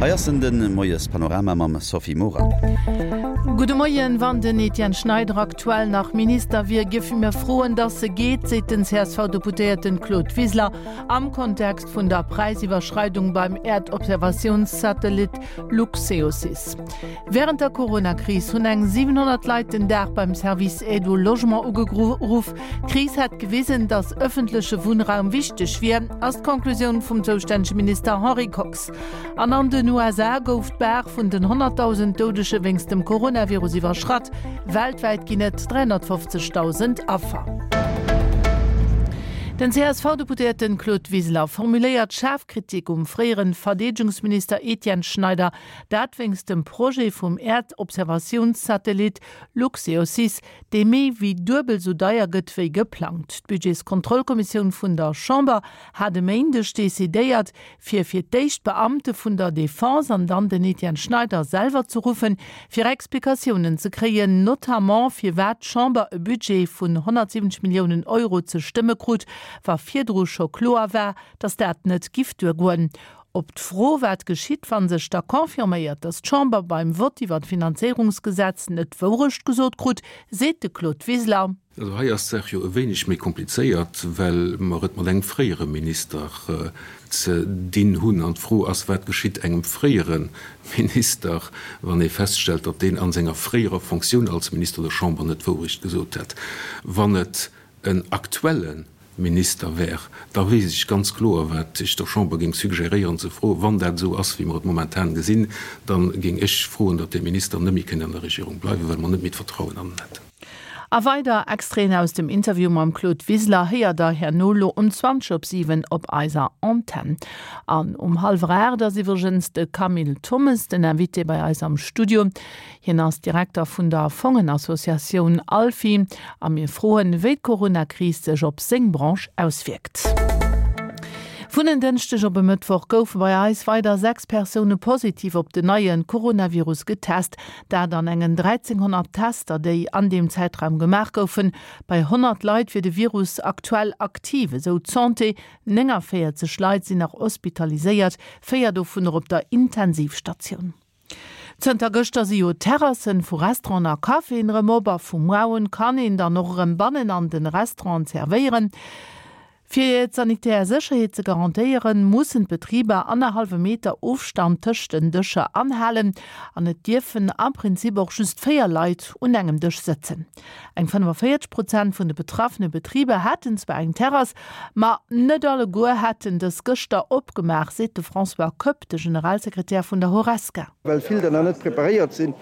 Hei ass en, de Moiespanorama mam Sophie Morang. Gudde Moien, Wann den Etienne Schneider aktuell nach Minister wier, géife mir froen, datt e geet, seet den CSV-Deputéierten Claude Wiseler am Kontext vun der Präisiwwerschreidung beim Äerdobservatiounssatellit Luxeosys. Wärend der Corona-Kris hunn eng 700 Leit den Dag beim Service Aide au Logement ugeruff. D'Kris hätt gewisen, datt ëffentleche Wunnraum wichteg wier, ass d'Conclusioun vum zoustännege Minister Henri Kox. An an den USA gouf d'Bar vun den 100.000 Doudege wéinst dem Coronavirus iwwerschratt. Weltwäit ginn et 350.000 Affer. Den CSV-Deputéierten Claude Wiseler formuléiert schaarf Kritik um fréieren Verdeedegungsminister Etienne Schneider. Dat wéinst dem Projet vum Äerdobservatiounssatellit Luxeosys, dee méi wéi duebel sou deier gëtt wéi geplangt. D'Budgetskontrollkommissioun vun der Chamber hat e Méindeg decidéiert, fir fir d'éischt d'Beamte vun der Defense an dann den Etienne Schneider selwer ze ruffen, fir Explikatiounen ze kréien, notamment firwat d'Chamber e Budget vun 170 Milliounen Euro ze stëmme krut, wa virdru scho kloer war, datt dat net giff duergoen. Op d'Fro, wat geschitt, wa sech da confirméiert, datt d'Chamber beim Vott iwwer d'Finanzéierungsgesetz net d'Wourecht gesot krut, seet de Claude Wiseler. Also hei ass d'Saach jo e wéineg méi komplizéiert, well mer et mat engem fréiere Minister ze dinn hunn. An d'Fro ass, Wat geschitt engem fréiere Minister, wann ee feststellt, datt deen a senger fréierer Fonctioun als Minister der Chamber net d'Wourecht gesot hätt? Wann et en aktuelle Minister wär, da weess ech ganz kloer, wat ech der Chamber géing suggéréieren ze froen. Wann dat esou ass, wéi mer et momentan gesinn, da géing ech froen, datt dee Minister net méi kënnt an der Regierung bleiwen, well mer net méi d'Vertrauen an en hätten. A weider Extraiten aus dem Interview mam Claude Wiseler héiert der herno lo um 20 op 7 op eiser Antenn. An um hallwer 8 ass iwwregens de Camille Thommes den Invité bei eis am Studio. Hien ass Direkter vun der Fongenassociatioun ALFI a mir froen, wéi d'Coronakris sech op seng Branche auswierkt. Vun en Dënschdeg op e Mëttwoch goufe bei eis weider 6 Persoune positiv op den neie Coronavirus getest. Dat an engen 1.300 Tester, déi an deem Zäitraum gemaach goufen. Bei 100 Leit wier de Virus aktuell aktiv, esou d'Santé. 49 Leit sinn nach hospitaliséiert, 4 dovunner op der Intensivstatioun. Zënter gëschter si jo d'Terrassen vu Restauranten a Caféen erëm op a vu muar un kann een dann och erëm bannen an den Restauranten zerwéieren. Fir d'sanitär Sécherheet ze garantéieren, mussen d'Betriber annerhallwe Meter Ofstand tëscht den Dëscher anhalen an et dierfen am Prinzip och just 4 Leit un engem Dësch sëtzen. Eng 45 Prozent vun de betraffene Betriber hätten zwar eng Terrass, ma net alleguer hätten dës gëschter opgemaach, seet de François Koepp, de Generalsekretär vun der Horesca. Well vill der nach net preparéiert sinn,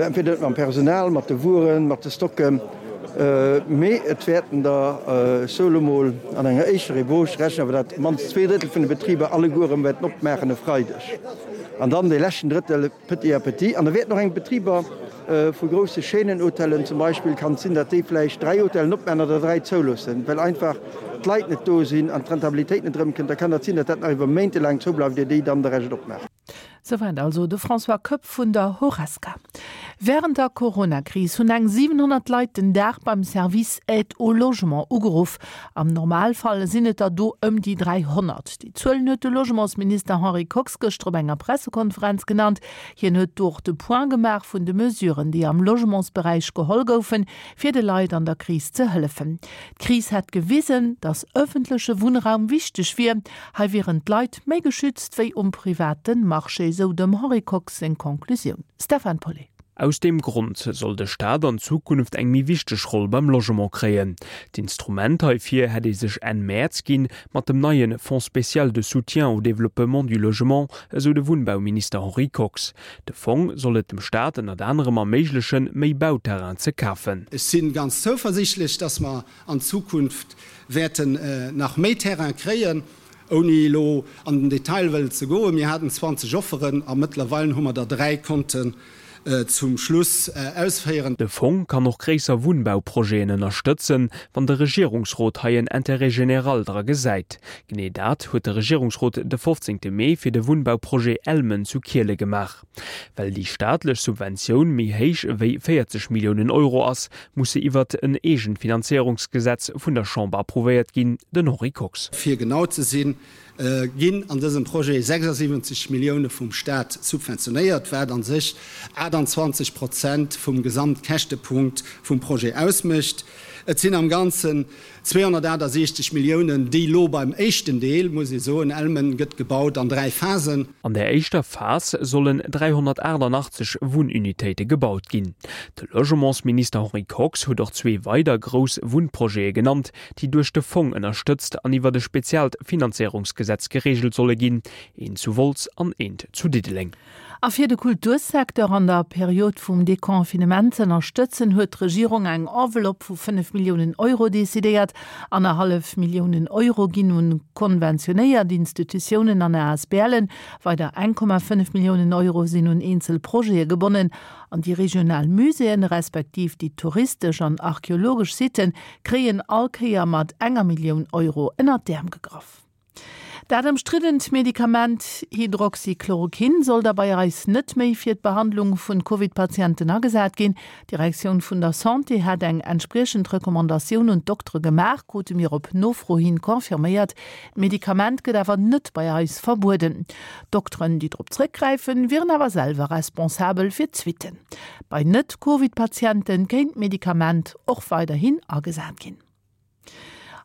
entweder net mam Personal, mat de Wueren, mat de Stocken, mee et wäerten der, ech soe lo mol an enger éischter Ébauche, rechnen awer dat mannst zweeDrëttel vun de Betriber alleguer erëm wäerten opmaachen e Freideg an dann dee leschten Drëttel petit à petit. An da wäerten och eng Betriber Vu grousse Chaînen-Hotellen zum Beispill kann et sinn, datt déi vläicht 3 Hotellen opmaachen oder 3 zouloossen, well einfach d'Leit net do sinn an d'Rentabilitéit net erëmkënnt. Da kann dat sinn, datt dat nach iwwer Méinte laang zoubleift, ier déi dann de Rescht opmaachen. Souwäit also de François Koepp vun der Horesca. Wärend der Corona-Kris hunn eng 700 Leit den Dag beim Service Aide au Logement ugeruff. Am Normalfall sinn et der do ëm déi 300. Déi Zuelen huet de Logementsminister Henri Kox gëschter op enger Pressekonferenz genannt. Hien huet do och de Point gemaach vun de Mesuren, déi am Logementsberäich geholl goufen, fir de Leit an der Kris ze hëllefen. D'Kris hätt gewisen, datt ëffentleche Wunnraum wichteg wier. Hei wieren d'Leit méi geschützt wéi um private Marché, sou dem Henri Kox seng Conclusioun. Stefan Paulet. Aus deem Grond soll de Staat an Zukunft eng méi wichteg Roll beim Logement kréien. D'Instrument heifir hätt ee sech Enn Mäerz ginn, mat dem neie Fonds spécial de soutien au développement du logement, esou de Wunnbauminister Henri Kox. De Fong soll et dem Staat ënnert anerem erméiglechen, méi Bauterrain ze kafen. Ech si ganz zouversiichtlech, dass mer an Zukunft wäerten nach méi Terrain kréien. Ouni elo an den Detail wëllen ze goen, mir haten 20 Offeren a mëttlerweilen hu mer der 3 konnten. zum Schluss ausféieren. De Fong kann och gréisser Wunnbauprojeten ënnerstëtzen, wann de Regierungsrot hei en Intérêt général dra gesäit. Genee dat huet de Regierungsrot de 15 Mee fir de Wunnbauprojet Elmen zu Kiele gemaach. Well déi staatlech Subventioun méi héich ewéi 40 Milliounen Euro ass, muss se iwwert en eegent Finanzéierungsgesetz vun der Chamber approuvéiert ginn. Den Henri Kox. Fir genau ze sinn, ginn an dësem Projet 76 Millioune vum Staat subventionéiert, wat a sech 28 Prozent vum Gesamtkäschtepunkt vum Projet ausmécht. Et sinn am Ganzen 268 Milliounen, déi elo beim éischten Deel, muss ee soen, Elmen gëtt gebaut an dräi Phasen. An der éischter Phas sollen 388 Wunnunitéite gebaut ginn. De Logementsminister Henri Kox huet och zwee weider grouss Wunnprojete genannt, déi duerch de Fong ënnerstëtzt an iwwert e speziaalt Finanzéierungsgesetz gereegelt solle ginn, een zu Wolz an eent zu Diddeleng. A fir de Kultursecteur an der Period vum Deconfinement z'ënnerstëtzen, huet d'Regierung eng Enveloppe vu 5 Milliounen Euro decidéiert. Annerhallef Milliounen Euro ginn un konventionéiert Institutiounen an ASBLen, weider 1,5 Milliounen Euro sinn un eenzel Projete gebonnen. An déi regional Muséeën, respektiv déi touristesch an archeologesch Sitten kréien all Kéier mat enger Millioun Euro ënnert d'Äerm gegraff. Dat ëmstriddent Medikament Hydroxychloroquin soll da bei eis net méi fir d'Behandlung vun Covid-Patienten agesat ginn. D'Direktioun vun der Santé hat eng entspriechend Recommandatioun un d'Doktere gemaach, krute mir op Nofro hin confirméiert. D'Medikament gëtt awer net bei eis verbueden. D'Dokteren, déi drop zréckgräifen, wieren awer selwer responsabel fir d'Suitten. Bei Net-Covid-Patiente kéint d'Medikament och weiderhin agesat ginn.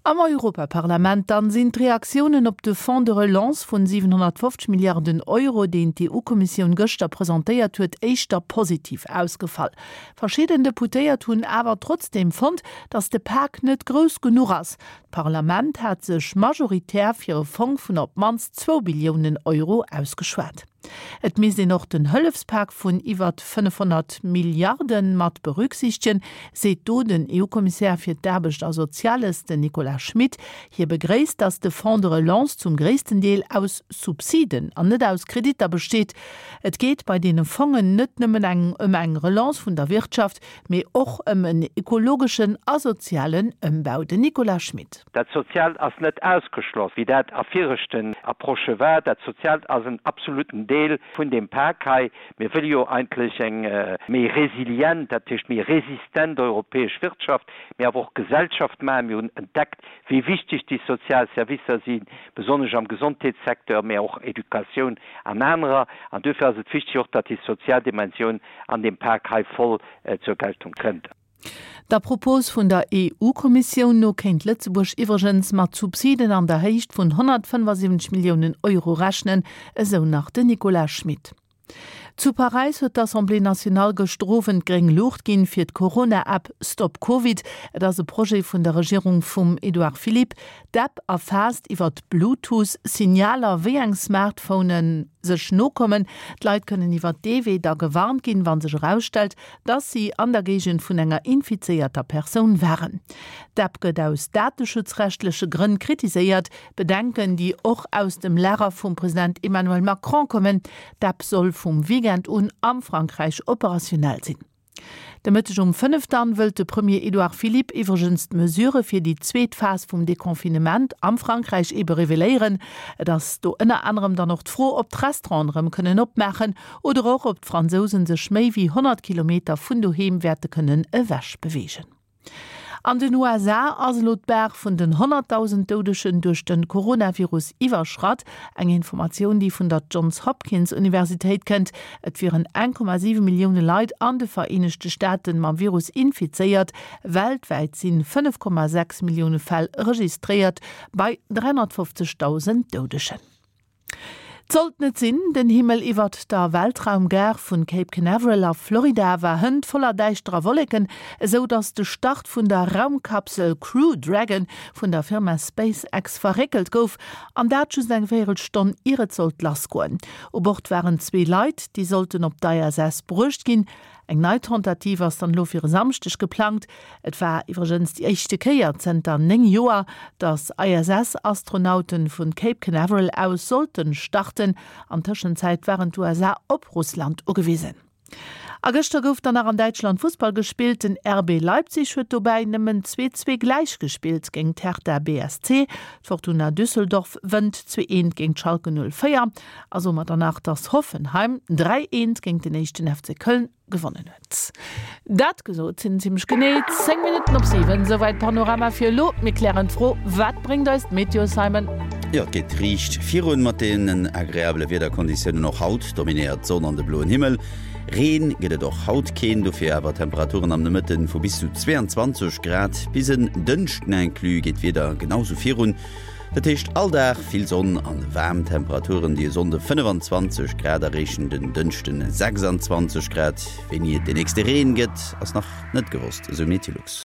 Am Europaparlament dann sinn d'Reaktiounen op de Fonds de relance vun 750 Milliarden Euro, deen d'EU-Kommissioun gëschter presentéiert huet, éischter positiv ausgefall. Verschidden Deputéiert hunn awer trotzdeem fonnt, datt de Pak net grouss genuch ass. D'Parlament hat sech majoritär fir e Fong vun op d'mannst zwou Billiounen Euro ausgeschwat. Et misst een och den Hëllefspak vun iwwert 500 Milliarde mat berücksichtegen, seet do den EU-Kommissär fir d'Aarbecht a Soziales, den Nicolas Schmit. Hie begréisst, datt de Fonds de relance zum gréissten Deel aus Subsiden an net aus Kreditter besteet. Et geet bei deene Fongen net nëmmen eng ëm eng Relance vun der Wirtschaft, mee och ëm en ekologeschen a sozialen Ëmbau. Den Nicolas Schmit. Dat Soziaalt ass net ausgeschloss, wéi dat a viregten Approchë war. Dat Soziaalt ass en absoluten Deel vun deem Pak hei. Mir wëlle jo eigentlech eng méi resilient, dat heescht méi resistent europäesch Wirtschaft, mee awer och Gesellschaft maachen. Mir hunn entdeckt, wéi wichteg déi sozial Servicer sinn, besonnesch am Gesondheetssecteur, mee och Educatioun an anerer. An duerfir ass et wichteg och, datt déi sozial Dimensioun an deem Pak hei voll zur Geltung kënnt. Der Propos vun der EU-Kommissioun no kéint Lëtzebuerg iwwregens mat Subsiden an der Héicht vun 175 Milliounen Euro rechnen, esou nach den Nicolas Schmit. Zu Paräis huet d'Assemblée nationale gëschter Owend gréng Luucht ginn fir d'Corona-App StopCovid. Et ass e Projet vun der Regierung vum Edouard Philippe. D'App erfaasst iwwert Bluetooth-Signaler, wéi eng Smartphonen sech nokommen. D'Leit kënnen iwwert dee Wee da gewarnt ginn, wa sech erausstellt, dass si an der Géigend vun enger infizéierter Persoun waren. D'App gëtt aus dateschutzrechtleche Grënn kritiséiert, Bedenken, déi och aus dem Lager vum President Emmanuel Macron kommen. D'App soll vum Weekend un am Frankräich operationell sinn. De Mëtteg um 5 dann wëllt de Premier Edouard Philippe iwwregens d'Mesurë fir déi zweet Phas vum Deconfinement am Frankräich ebe reveléieren. Et ass do ënner anerem dann och d'Fro, ob d'Restauranten erëm kënnen opmaachen Oder och, ob d'Fransousen sech méi wéi 100 Kilometer vun doheem wäerte kënnen ewech beweegen. An den USA ass elo d'Bar vun den 100.000 Doudegen duerch de Coronavirus iwwerschratt. Eng Informatioun, déi vun der Johns Hopkins Universitéit kënnt. Et wieren 1,7 Millioune Leit an de Vereenegte Staaten mam Virus infizéiert. Weltwäit sinn 5,6 Millioune Fäll registréiert, bei 350.000 Doudegen. D'sollt net sinn, den Himmel iwwert der Weltraumgare vun Cape Canaveral a Florida war hënt voller däischterer Wolleken, esou dass de Start vun der Raumkapsel Crew Dragon vun der Firma SpaceX verréckelt gouf, an dat just eng Véierelstonn ier et sollt lassgoen. U Bord waren zwee Leit, déi sollten op d'ISS bruecht ginn. Eng nei Tentative ass dann elo fir e Samschdeg geplangt. Et war iwwregens déi éischte Kéier zënter 9 Joer, datt ISS-Astronaute vun Cape Canaveral aus sollten starten. An Tëschenzäit waren d'USA op Russland ugewisen. A gëschter gouf dann nach an Däitschland Fussball gespillt. Den RB Leipzig huet dobäi nëmmen 2, 2 gläich gespillt géint d'Hertha BSC. D'Fortuna Düsseldorf wënnt 2, 1 géint Schalke 04 a somat dann nach, dass Hoffenheim 3, 1 géint den éischten FC Köln gewonnen huet. Dat gesot sinn zimmlech genee 10 Minutten op 7. Souwäit Panorama fir elo. Mir klären d'Fro, Wat bréngt eis d'Meteo, Simon? Jo, et geet riicht virun mat deenen agreabele Wiederkonditiounen. Och haut dominéiert d'Sonn an de bloen Himmel. Reen gëtt et och haut keen, dofir awer Temperaturen am Nomëtte vu bis zu 22 Grad. Bis en Dënschden inclus geet d'Wieder genau sou virun, dat heescht all Dag vill Sonn an waarm Temperaturen, déi e Sonnde 25 Grad erreechen, den Dënschden 26 Grad. Wéini et den nächste Reen gëtt, ass nach net gewosst, esou Meteolux.